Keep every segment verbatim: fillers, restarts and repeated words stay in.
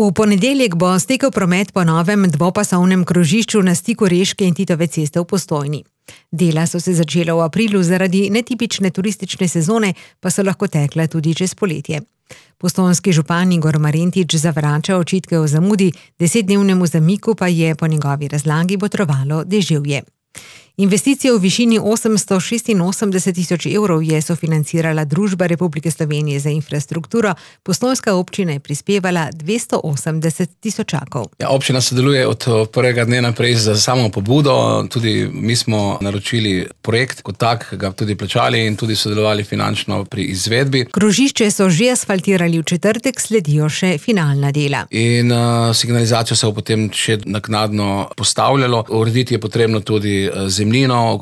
V ponedeljek bo stekel promet po novem dvopasovnem krožišču na stiku Reške in Titove ceste v Postojni. Dela so se začela v aprilu, zaradi netipične turistične sezone pa so lahko tekla tudi čez poletje. Postojnski župan Igor Marentič zavrača očitke o zamudi, desetdnevnemu zamiku pa je po njegovi razlagi botrovalo deževje. Investicijo v višini osemsto šestinosemdeset tisoč evrov je sofinancirala Družba Republike Slovenije za infrastrukturo, postojnska občina je prispevala dvesto osemdeset tisočakov. Ja, občina sodeluje od prvega dne naprej za samo pobudo, tudi mi smo naročili projekt kot tak, ga tudi plačali in tudi sodelovali finančno pri izvedbi. Krožišče so že asfaltirali v četrtek, sledijo še finalna dela. In uh, signalizacijo se bo potem še naknadno postavljalo. Urediti je potrebno tudi zemljišče,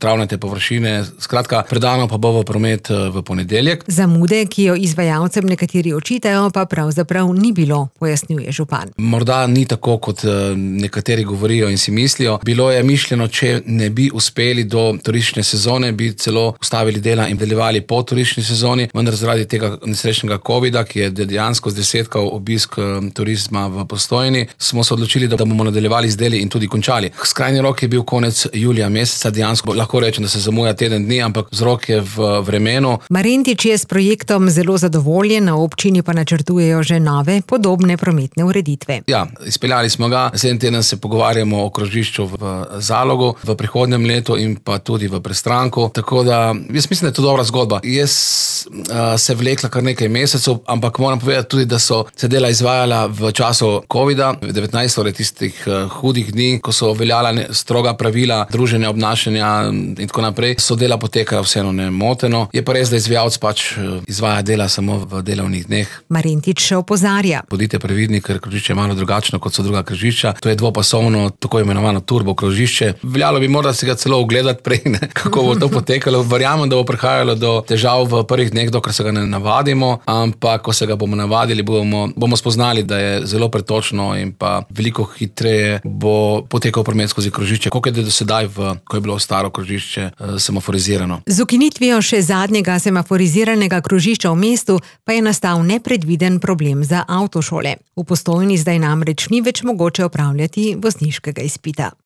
travnate površine, skratka, predano pa bo v promet v ponedeljek. Zamude, ki jo izvajalcem nekateri očitajo, pa pravzaprav ni bilo, pojasnjuje župan. Morda ni tako, kot nekateri govorijo in si mislijo. Bilo je mišljeno, če ne bi uspeli do turistične sezone, bi celo ustavili dela in nadaljevali po turistični sezoni, vendar zaradi tega nesrečnega covida, ki je dejansko zdesetkal obisk turizma v Postojni, smo se odločili, da bomo nadaljevali z deli in tudi končali. Skrajni rok je bil konec julija meseca. Dejansko lahko rečem, da se zamuja teden dni, ampak vzrok je v vremenu. Marentič je s projektom zelo zadovoljen, na občini pa načrtujejo že nove, podobne prometne ureditve. Ja, izpeljali smo ga. Naslednji teden se pogovarjamo o krožišču v Zalogu, v prihodnjem letu in pa tudi v Prestranku. Tako da, jaz mislim, da je to dobra zgodba. Jaz uh, se vlekla kar nekaj mesecev, ampak moram povedati tudi, da so se dela izvajala v času covida, devetnajst, torej tistih uh, hudih dni, ko so veljala stroga pravila druženja, obnašanja in tako naprej, so dela potekajo vseeno nemoteno. Je pa res, da izvajalec pač izvaja dela samo v delovnih dneh. Marentič še opozarja. Bodite previdni, ker krožišče je malo drugačno kot so druga krožišča. To je dvopasovno, tako imenovano turbo krožišče. Veljalo bi morda si ga celo ogledati prej, ne, kako bo to potekalo. Verjamem, da bo prihajalo do težav v prvih dneh, dokler se ga ne navadimo, ampak ko se ga bomo navadili, bomo, bomo spoznali, da je zelo pretočno in pa veliko hitreje bo potekal promet skozi krožišče, kot je do sedaj, v, ko je bilo staro krožišče semaforizirano. Z ukinitvijo še zadnjega semaforiziranega krožišča v mestu pa je nastal nepredviden problem za avtošole. V Postojni zdaj namreč ni več mogoče opravljati vozniškega izpita.